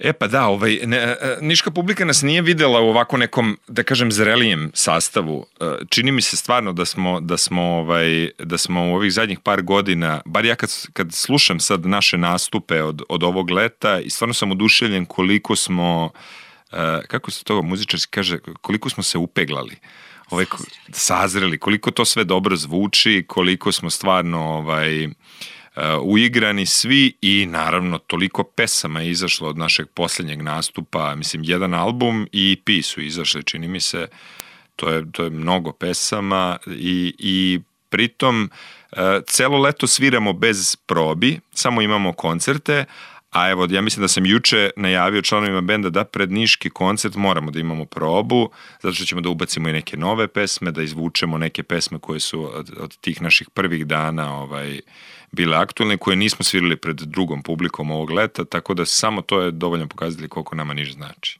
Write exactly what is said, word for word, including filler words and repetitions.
E pa da, ovaj, ne, niška publika nas nije videla u ovako nekom, da kažem, zrelijem sastavu. Čini mi se stvarno da smo, da smo, ovaj, da smo u ovih zadnjih par godina, bar ja kad, kad slušam sad naše nastupe od, od ovog leta, i stvarno sam oduševljen koliko smo, kako se to muzičarski kaže, koliko smo se upeglali. Ovaj, sazreli, koliko to sve dobro zvuči, koliko smo stvarno ovaj, uh, uigrani svi i naravno toliko pesama je izašlo od našeg posljednjeg nastupa, mislim jedan album i E P su izašli, čini mi se, to je, to je mnogo pesama i, i pritom uh, celo leto sviramo bez probi, samo imamo koncerte. A evo, ja mislim da sam juče najavio članovima benda da pred niški koncert moramo da imamo probu, zato što ćemo da ubacimo i neke nove pesme, da izvučemo neke pesme koje su od, od tih naših prvih dana ovaj, bile aktualne, koje nismo svirali pred drugom publikom ovog leta, tako da samo to je dovoljno pokazali koliko nama Niš znači.